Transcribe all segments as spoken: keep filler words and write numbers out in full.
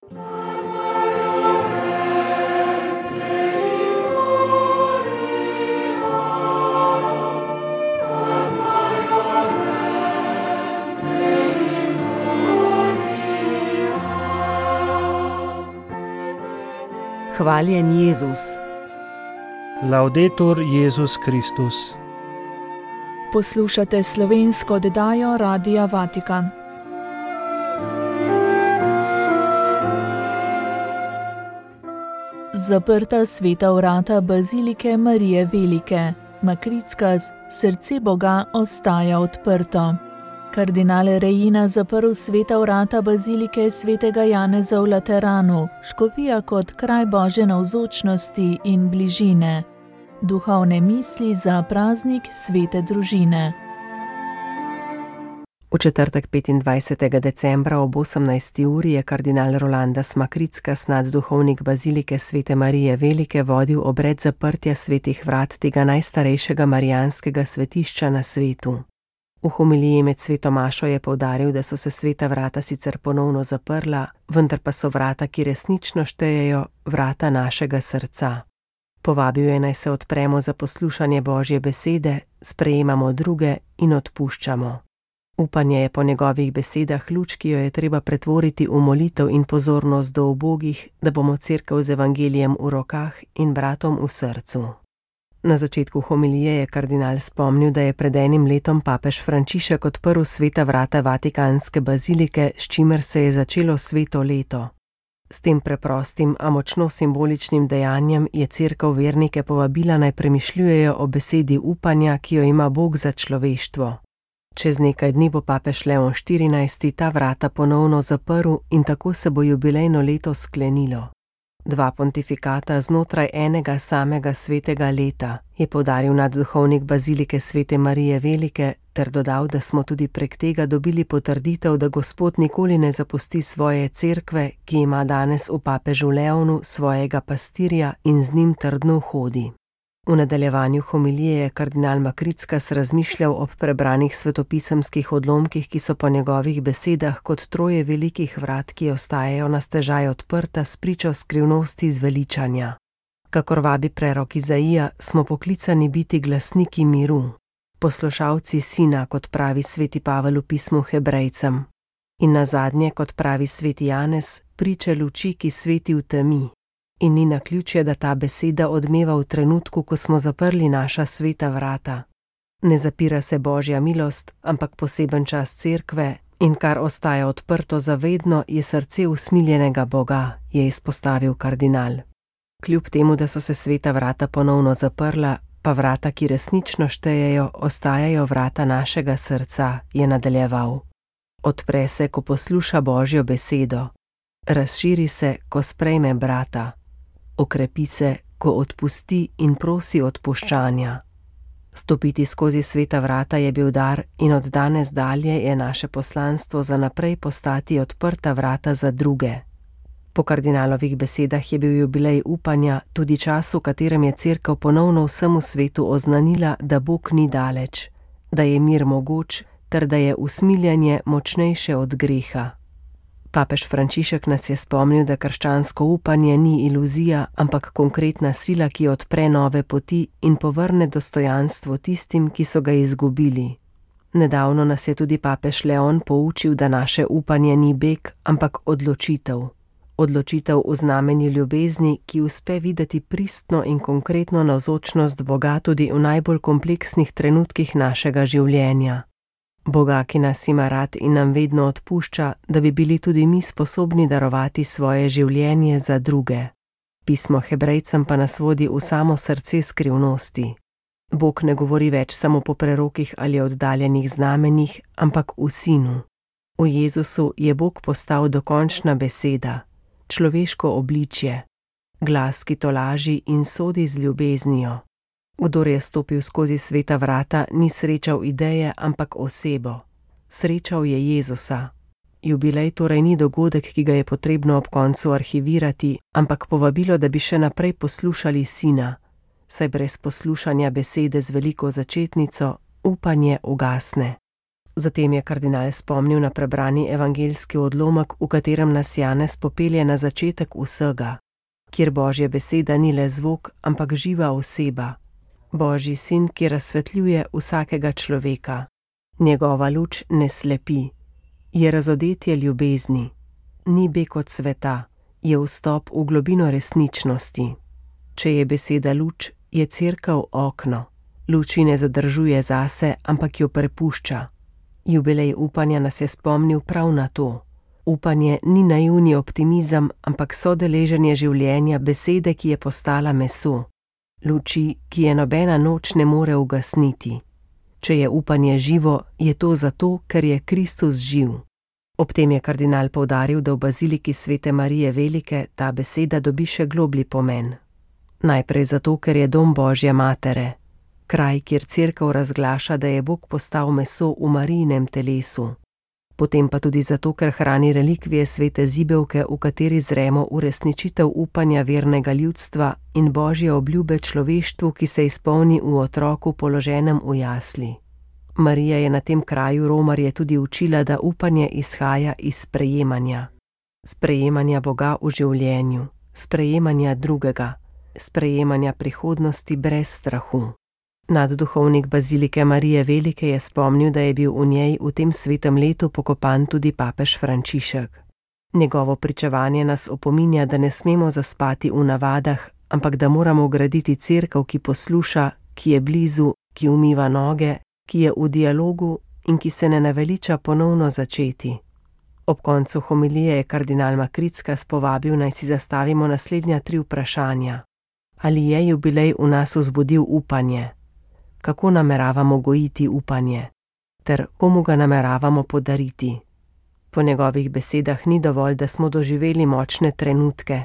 Hvaljen Jezus. Laudetur Jezus Kristus. Poslušate slovensko oddajo Radia Vatikan. Zaprta sveta vrata bazilike Marije Velike. Makrickas, srce Boga ostaja odprto. Kardinal Reina zaprl sveta vrata bazilike svetega Janeza v Lateranu, škofija kot kraj Božje navzočnosti in bližine. Duhovne misli za praznik svete družine. V četrtek petindvajsetega decembra ob osemnajsti uri je kardinal Rolandas Makrickas, nadduhovnik bazilike svete Marije Velike, vodil obred zaprtja svetih vrat tega najstarejšega marijanskega svetišča na svetu. V homiliji med sveto mašo je poudaril, da so se sveta vrata sicer ponovno zaprla, vendar pa so vrata, ki resnično štejejo, vrata našega srca. Povabil je, naj se odpremo za poslušanje Božje besede, sprejemamo druge in odpuščamo. Upanje je po njegovih besedah luč, ki jo je treba pretvoriti v molitev in pozornost do ubogih, da bomo cerkev z evangelijem v rokah in bratom v srcu. Na začetku homilije je kardinal spomnil, da je pred enim letom papež Frančišek odprl sveta vrata Vatikanske bazilike, s čimer se je začelo sveto leto. S tem preprostim, a močno simboličnim dejanjem je cerkev vernike povabila, naj premišljujejo o besedi upanja, ki jo ima Bog za človeštvo. Čez nekaj dni bo papež Leon štirinajsti ta vrata ponovno zaprl in tako se bo jubilejno leto sklenilo. Dva pontifikata znotraj enega samega svetega leta, je poudaril nadduhovnik bazilike svete Marije Velike, ter dodal, da smo tudi prek tega dobili potrditev, da Gospod nikoli ne zapusti svoje cerkve, ki ima danes v papežu Leonu svojega pastirja in z njim trdno hodi. V nadaljevanju homilije je kardinal Makrickas razmišljal ob prebranih svetopisemskih odlomkih, ki so po njegovih besedah kot troje velikih vrat, ki ostajajo na stežaj odprta s pričo skrivnosti zveličanja. Kakor vabi prerok Izaija, smo poklicani biti glasniki miru, poslušalci sina, kot pravi sveti Pavel v pismu Hebrejcem. In nazadnje, kot pravi sveti Janez, priče luči, ki sveti v temi. In ni naključje, da ta beseda odmeva v trenutku, ko smo zaprli naša sveta vrata. Ne zapira se Božja milost, ampak poseben čas cerkve, in kar ostaja odprto zavedno, je srce usmiljenega Boga, je izpostavil kardinal. Kljub temu, da so se sveta vrata ponovno zaprla, pa vrata, ki resnično štejejo, ostajajo vrata našega srca, je nadaljeval. Odpre se, ko posluša Božjo besedo. Razširi se, ko sprejme brata. Okrepi se, ko odpusti in prosi odpuščanja. Stopiti skozi sveta vrata je bil dar in od danes dalje je naše poslanstvo za naprej postati odprta vrata za druge. Po kardinalovih besedah je bil jubilej upanja tudi čas, v katerem je cerkev ponovno vsemu svetu oznanila, da Bog ni daleč, da je mir mogoč ter da je usmiljenje močnejše od greha. Papež Frančišek nas je spomnil, da krščansko upanje ni iluzija, ampak konkretna sila, ki odpre nove poti in povrne dostojanstvo tistim, ki so ga izgubili. Nedavno nas je tudi papež Leon poučil, da naše upanje ni beg, ampak odločitev. Odločitev v znamenju ljubezni, ki uspe videti pristno in konkretno navzočnost Boga tudi v najbolj kompleksnih trenutkih našega življenja. Boga, ki nas ima rad in nam vedno odpušča, da bi bili tudi mi sposobni darovati svoje življenje za druge. Pismo Hebrejcem pa nas vodi v samo srce skrivnosti. Bog ne govori več samo po prerokih ali oddaljenih znamenjih, ampak v Sinu. V Jezusu je Bog postal dokončna beseda, človeško obličje, glas, ki tolaži in sodi z ljubeznijo. Kdor je stopil skozi sveta vrata, ni srečal ideje, ampak osebo. Srečal je Jezusa. Jubilej torej ni dogodek, ki ga je potrebno ob koncu arhivirati, ampak povabilo, da bi še naprej poslušali Sina, saj brez poslušanja besede z veliko začetnico upanje ugasne. Zatem je kardinal spomnil na prebrani evangeljski odlomek, v katerem nas Janez popelje na začetek vsega, kjer Božja beseda ni le zvok, ampak živa oseba, Božji sin, ki razsvetljuje vsakega človeka. Njegova luč ne slepi, je razodetje ljubezni, ni beg od sveta, je vstop v globino resničnosti. Če je beseda luč, je cerkev okno. Luči ne zadržuje zase, ampak jo prepušča. Jubilej upanja nas je spomnil prav na to. Upanje ni naivni optimizem, ampak sodeleženje življenja besede, ki je postala meso. Luči, ki je nobena noč ne more ugasniti. Če je upanje živo, je to zato, ker je Kristus živ. Ob tem je kardinal poudaril, da v baziliki svete Marije Velike ta beseda dobi še globlji pomen. Najprej zato, ker je dom Božje matere, kraj, kjer cerkev razglaša, da je Bog postal meso v Marijinem telesu. Potem pa tudi zato, ker hrani relikvije svete zibelke, v kateri zremo uresničitev upanja vernega ljudstva in Božje obljube človeštvu, ki se izpolni v otroku položenem v jasli. Marija je na tem kraju romarje tudi učila, da upanje izhaja iz sprejemanja. Sprejemanja Boga v življenju, sprejemanja drugega, sprejemanja prihodnosti brez strahu. Nadduhovnik bazilike Marije Velike je spomnil, da je bil v njej v tem svetem letu pokopan tudi papež Frančišek. Njegovo pričevanje nas opominja, da ne smemo zaspati v navadah, ampak da moramo graditi cerkev, ki posluša, ki je blizu, ki umiva noge, ki je v dialogu in ki se ne naveliča ponovno začeti. Ob koncu homilije je kardinal Makrickas povabil, naj si zastavimo naslednja tri vprašanja. Ali je jubilej v nas vzbudil upanje? Kako nameravamo gojiti upanje? Ter komu ga nameravamo podariti? Po njegovih besedah ni dovolj, da smo doživeli močne trenutke.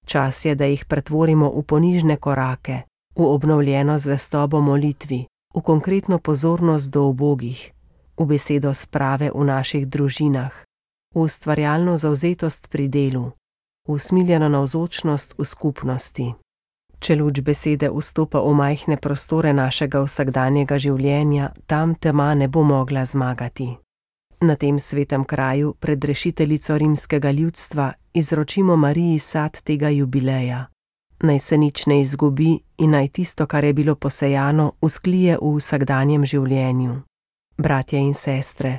Čas je, da jih pretvorimo v ponižne korake, v obnovljeno zvestobo molitvi, v konkretno pozornost do ubogih, v besedo sprave v naših družinah, v ustvarjalno zavzetost pri delu, v usmiljeno navzočnost v skupnosti. Če luč besede vstopa v majhne prostore našega vsakdanjega življenja, tam tema ne bo mogla zmagati. Na tem svetem kraju pred rešiteljico rimskega ljudstva izročimo Mariji sad tega jubileja. Naj se nič ne izgubi in naj tisto, kar je bilo posejano, vzklije v vsakdanjem življenju. Bratje in sestre,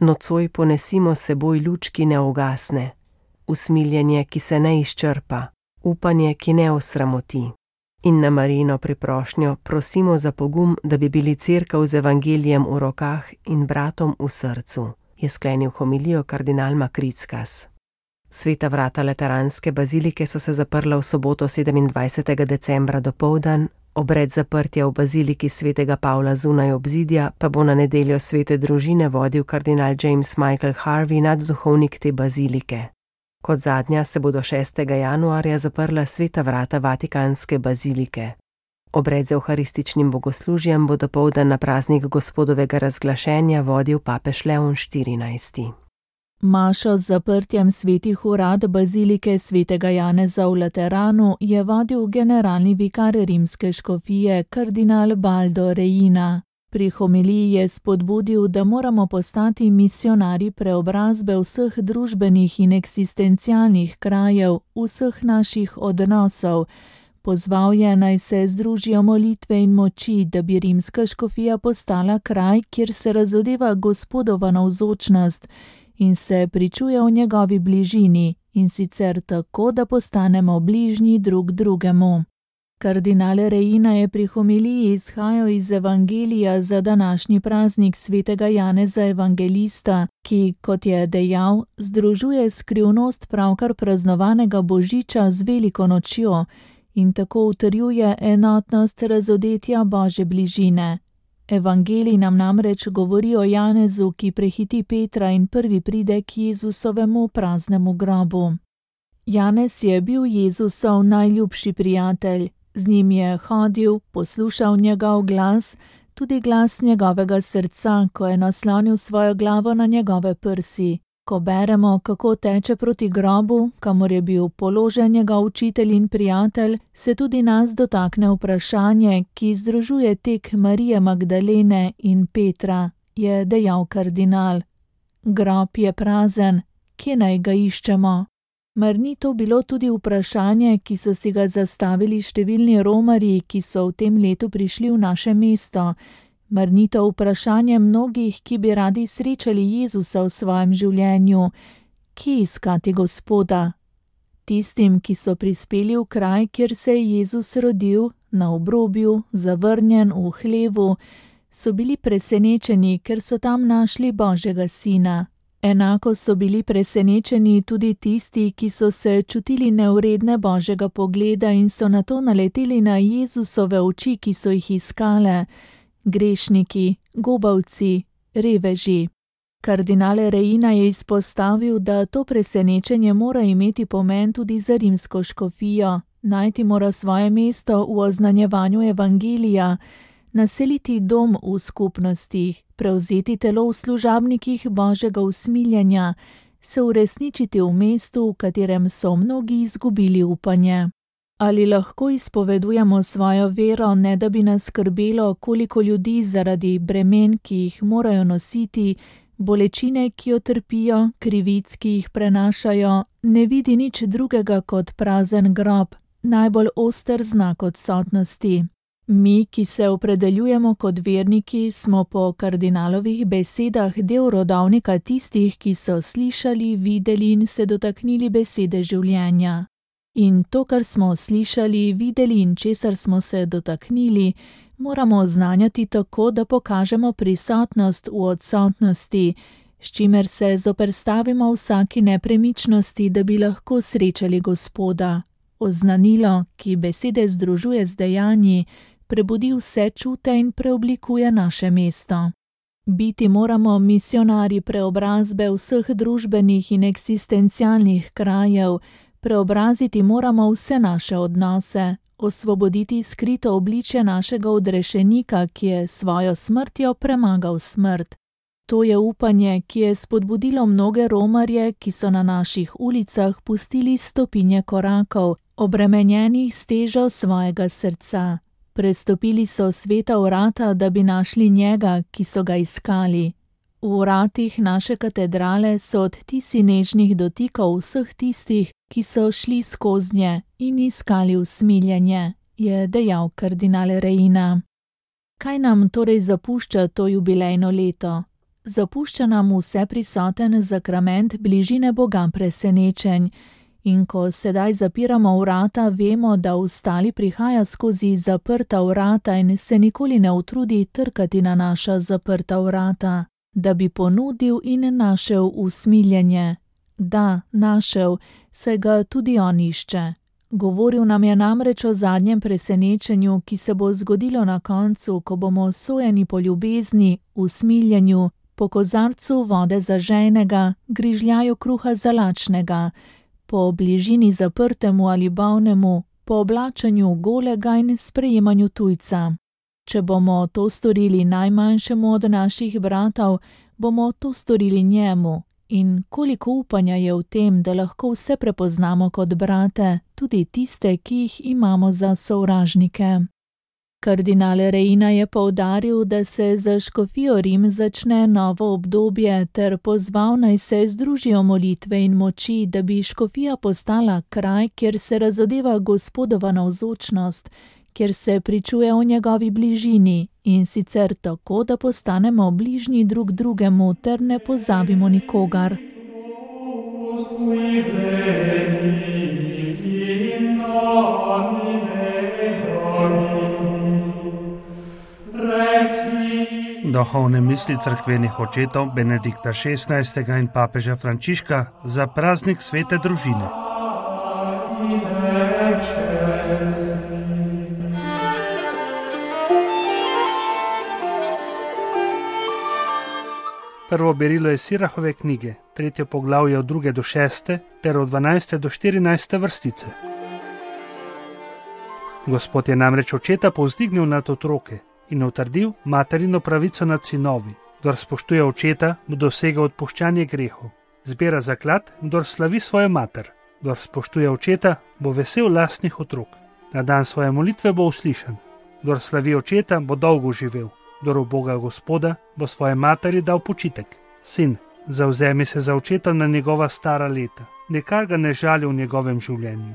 nocoj ponesimo seboj luč, ki ne ugasne, usmiljenje, ki se ne izčrpa, upanje, ki ne osramoti. In na Marijino priprošnjo prosimo za pogum, da bi bili cerkev z evangelijem v rokah in bratom v srcu, je sklenil homilijo kardinal Makrickas. Sveta vrata Lateranske bazilike so se zaprla v soboto sedemindvajsetega decembra dopoldan, obred zaprtja v baziliki svetega Pavla zunaj obzidja pa bo na nedeljo svete družine vodil kardinal James Michael Harvey, nadduhovnik te bazilike. Kot zadnja se bodo šestega januarja zaprla sveta vrata Vatikanske bazilike. Obred z evharističnim bogoslužjem bo dopoldan na praznik Gospodovega razglašenja vodil papež Leon štirinajsti. Mašo z zaprtjem svetih urad bazilike svetega Janeza v Lateranu je vodil generalni vikar rimske škofije kardinal Baldo Reina. Pri homiliji je spodbudil, da moramo postati misionarji preobrazbe vseh družbenih in eksistencialnih krajev, vseh naših odnosov. Pozval je, naj se združijo molitve in moči, da bi rimska škofija postala kraj, kjer se razodeva Gospodova navzočnost in se pričuje o njegovi bližini, in sicer tako, da postanemo bližnji drug drugemu. Kardinal Reina je pri homiliji izhajal iz Evangelija za današnji praznik svetega Janeza Evangelista, ki, kot je dejal, združuje skrivnost pravkar praznovanega Božiča z veliko nočjo in tako utrjuje enotnost razodetja Božje bližine. Evangelij nam namreč govori o Janezu, ki prehiti Petra in prvi pride k Jezusovemu praznemu grobu. Janez je bil Jezusov najljubši prijatelj. Z njim je hodil, poslušal njegov glas, tudi glas njegovega srca, ko je naslonil svojo glavo na njegove prsi. Ko beremo, kako teče proti grobu, kamor je bil položen njegov učitelj in prijatelj, se tudi nas dotakne vprašanje, ki združuje tek Marije Magdalene in Petra. je dejal kardinal. Grob je prazen, kje naj ga iščemo? Mar ni to bilo tudi vprašanje, ki so si ga zastavili številni romarji, ki so v tem letu prišli v naše mesto? Mar ni to vprašanje mnogih, ki bi radi srečali Jezusa v svojem življenju? Kje iskati Gospoda? Tistim, ki so prispeli v kraj, kjer se je Jezus rodil, na obrobju, zavrnjen v hlevu, so bili presenečeni, ker so tam našli Božjega sina. Enako so bili presenečeni tudi tisti, ki so se čutili nevredne Božjega pogleda in so nato naleteli na Jezusove oči, ki so jih iskale. Grešniki, gobavci, reveži. Kardinal Reina je izpostavil, da to presenečenje mora imeti pomen tudi za rimsko škofijo, najti mora svoje mesto v oznanjevanju evangelija, naseliti dom v skupnostih, prevzeti telo v služabnikih Božjega usmiljenja, se uresničiti v mestu, v katerem so mnogi izgubili upanje. Ali lahko izpovedujemo svojo vero, ne da bi nas skrbelo, koliko ljudi zaradi bremen, ki jih morajo nositi, bolečine, ki jo trpijo, krivic, ki jih prenašajo, ne vidi nič drugega kot prazen grob, najbolj oster znak odsotnosti. Mi, ki se opredeljujemo kot verniki, smo po kardinalovih besedah del rodovnika tistih, ki so slišali, videli in se dotaknili besede življenja. In to, kar smo slišali, videli in česar smo se dotaknili, moramo oznanjati tako, da pokažemo prisotnost v odsotnosti, s čimer se zoperstavimo vsaki nepremičnosti, da bi lahko srečali Gospoda. Oznanilo, ki besede združuje z dejanji, prebudi vse čute in preoblikuje naše mesto. Biti moramo misionarji preobrazbe vseh družbenih in eksistencialnih krajev, preobraziti moramo vse naše odnose, osvoboditi skrito obličje našega odrešenika, ki je svojo smrtjo premagal smrt. To je upanje, ki je spodbudilo mnoge romarje, ki so na naših ulicah pustili stopinje korakov, obremenjenih s težo svojega srca. Prestopili so sveta vrata, da bi našli njega, ki so ga iskali. V vratih naše katedrale so odtisi nežnih dotikov vseh tistih, ki so šli skoznje in iskali usmiljenje, je dejal kardinal Reina. Kaj nam torej zapušča to jubilejno leto? Zapušča nam vse prisoten zakrament bližine Boga presenečenj. In ko sedaj zapiramo vrata, vemo, da ostali prihaja skozi zaprta vrata in se nikoli ne utrudi trkati na naša zaprta vrata, da bi ponudil in našel usmiljenje. Da, našel, saj ga tudi on išče. Govoril nam je namreč o zadnjem presenečenju, ki se bo zgodilo na koncu, ko bomo sojeni po ljubezni, usmiljenju, po kozarcu vode za žejnega, grižljaju kruha za lačnega, po bližini zaprtemu ali bolnemu, po oblačenju golega in sprejemanju tujca. Če bomo to storili najmanjšemu od naših bratov, bomo to storili njemu. In koliko upanja je v tem, da lahko vse prepoznamo kot brate, tudi tiste, ki jih imamo za sovražnike. Kardinal Reina je poudaril, da se za škofijo Rim začne novo obdobje ter pozval naj se združijo molitve in moči, da bi škofija postala kraj, kjer se razodeva Gospodova navzočnost, kjer se pričuje o njegovi bližini in sicer tako, da postanemo bližnji drug drugemu ter ne pozabimo nikogar. Duhovne misli cerkvenih očetov Benedikta šestnajstega in papeža Frančiška za praznik svete družine. Prvo berilo je Sirahove knjige, tretje poglavje od druge do šeste ter od dvanajste do štirinajste vrstice. Gospod je namreč očeta povzdignil nad otroke in utrdil materino pravico nad sinovi. Kdor spoštuje očeta, bo dosegel odpuščanje grehov. Zbira zaklad, kdor slavi svojo mater. Kdor spoštuje očeta, bo vesel lastnih otrok. Na dan svoje molitve bo uslišan. Kdor slavi očeta, bo dolgo živel. kdor uboga Gospoda, bo svoje materi dal počitek. Sin, zavzemi se za očeta na njegova stara leta, nikar ga ne žali v njegovem življenju.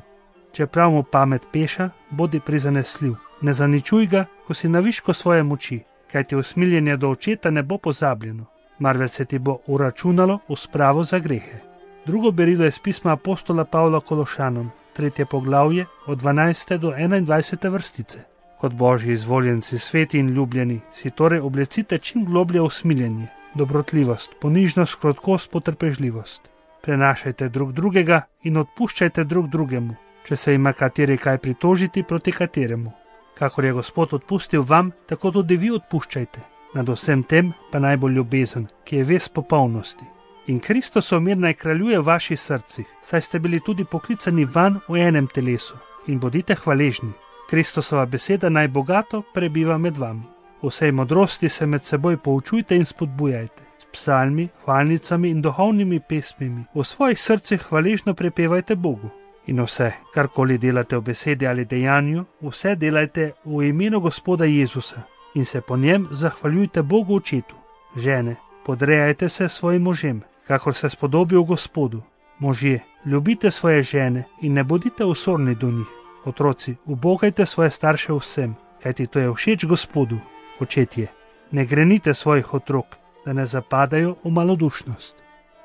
Čeprav mu pamet peša, bodi prizanesljiv, ne zaničuj ga, ko si na višku svoje moči, kajti usmiljenje do očeta ne bo pozabljeno, marveč se ti bo uračunalo v spravo za grehe. Drugo berilo je z pisma apostola Pavla Kološanom, tretje poglavje od dvanajste do enaindvajsete vrstice. Kot božji izvoljenci, sveti in ljubljeni, si torej oblecite čim globlje usmiljenje, dobrotljivost, ponižnost, krotkost, potrpežljivost. Prenašajte drug drugega in odpuščajte drug drugemu, če se ima kateri kaj pritožiti proti kateremu. Kakor je Gospod odpustil vam, tako tudi vi odpuščajte. Nad vsem tem pa najbolj ljubezen, ki je ves popolnosti. In Kristusov mir naj kraljuje v vaših srcih, saj ste bili tudi poklicani van v enem telesu. In bodite hvaležni. Kristusova beseda naj bogato prebiva med vami. V vsej modrosti se med seboj poučujte in spodbujajte. S psalmi, hvalnicami in duhovnimi pesmimi v svojih srcih hvaležno prepevajte Bogu. In vse, karkoli delate v besedi ali dejanju, vse delajte v imenu Gospoda Jezusa in se po njem zahvaljujte Bogu Očetu. Žene, podrejajte se svojim možem, kakor se spodobi v Gospodu. Možje, ljubite svoje žene in ne bodite osorni do njih. Otroci, ubogajte svoje starše vsem, kajti to je všeč Gospodu. Očetje, ne grenite svojih otrok, da ne zapadajo v malodušnost.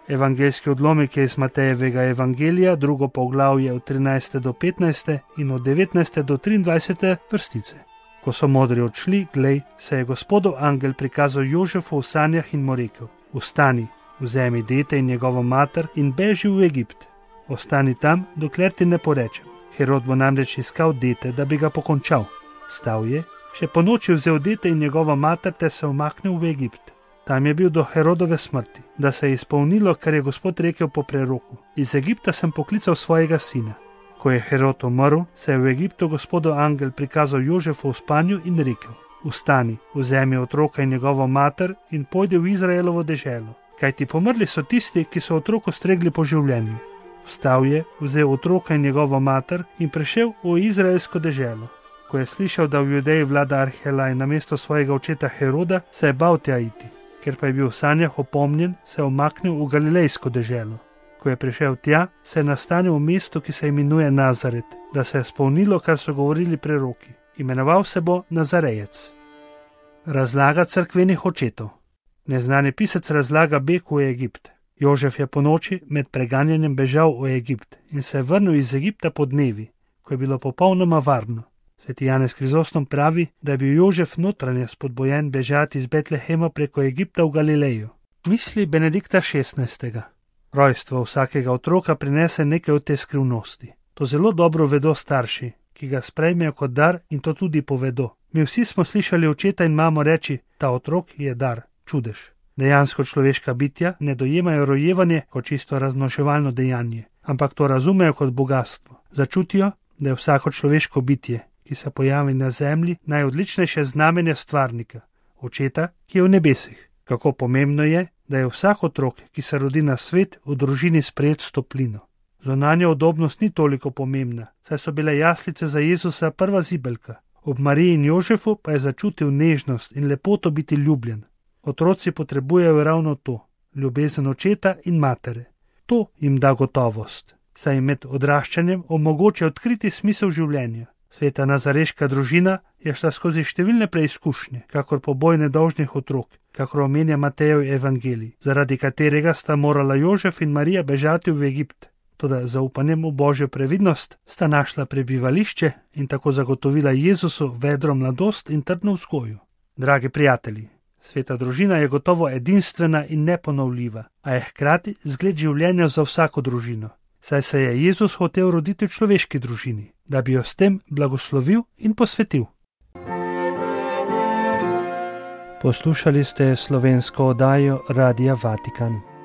Evangeljski odlomek je iz Matejevega evangelija, drugo poglavje od trinajste do petnajste in od devetnajste do triindvajsete vrstice. Ko so modri odšli, glej, se je Gospodov angel prikazal Jožefu v sanjah in mu rekel: Vstani, vzemi dete in njegovo mater in beži v Egipt. Ostani tam, dokler ti ne porečem. Herod bo namreč iskal dete, da bi ga pokončal. Vstal je, še po noči vzel dete in njegova mater ter se umaknil v Egipt. Tam je bil do Herodove smrti, da se je izpolnilo, kar je Gospod rekel po preroku: Iz Egipta sem poklical svojega sina. Ko je Herod umrl, se je v Egiptu Gospodov angel prikazal Jožefu v spanju in rekel: Vstani, vzemi otroka in njegovo mater in pojdi v Izraelovo deželo, kajti pomrli so tisti, ki so otroku stregli po življenju. Vstal je, vzel otroka in njegovo mater in prišel v izraelsko deželo. Ko je slišal, da v Judeji vlada Arhelaj namesto svojega očeta Heroda, se je bal tja iti. Ker pa je bil v sanjah opomnjen, se je umaknil v galilejsko deželo. Ko je prišel tja, se je nastanil v mestu, ki se imenuje Nazaret, da se je spolnilo, kar so govorili preroki. Imenoval se bo Nazarejec. Razlaga cerkvenih očetov. Neznani pisec razlaga beg v Egipt. Jožef je po noči med preganjanjem bežal v Egipt in se je vrnil iz Egipta po dnevi, ko je bilo popolnoma varno. Sveti Janez Krizostom pravi, da je bil Jožef notranje spodbojen bežati iz Betlehema preko Egipta v Galilejo. Misli Benedikta šestnajstega. Rojstvo vsakega otroka prinese nekaj od te skrivnosti. To zelo dobro vedo starši, ki ga sprejmejo kot dar in to tudi povedo. Mi vsi smo slišali očeta in mamo reči: ta otrok je dar, čudež. Dejansko človeška bitja ne dojemajo rojevanje kot čisto razmnoževalno dejanje, ampak to razumejo kot bogastvo. Začutijo, da je vsako človeško bitje, ki se pojavi na zemlji, najodličnejše znamenje stvarnika, očeta, ki je v nebesih. Kako pomembno je, da je vsak otrok, ki se rodi na svet, v družini sprejet s toplino. Zunanja udobnost ni toliko pomembna, saj so bile jaslice za Jezusa prva zibelka. Ob Mariji in Jožefu pa je začutil nežnost in lepoto biti ljubljen. Otroci potrebujejo ravno to, ljubezen očeta in matere. To jim da gotovost, saj jim med odraščanjem omogoča odkriti smisel življenja. Sveta nazareška družina je šla skozi številne preizkušnje, kakor poboj nedolžnih otrok, kakor omenja Matejev evangelij, zaradi katerega sta morala Jožef in Marija bežati v Egipt. Toda z zaupanjem v Božjo previdnost sta našla prebivališče in tako zagotovila Jezusu vedro mladost in trdno vzgojo. Dragi prijatelji, sveta družina je gotovo edinstvena in neponovljiva, a je hkrati zgled življenja za vsako družino. Saj se je Jezus hotel roditi v človeški družini, da bi jo s tem blagoslovil in posvetil. Poslušali ste slovensko oddajo Radia Vatikan.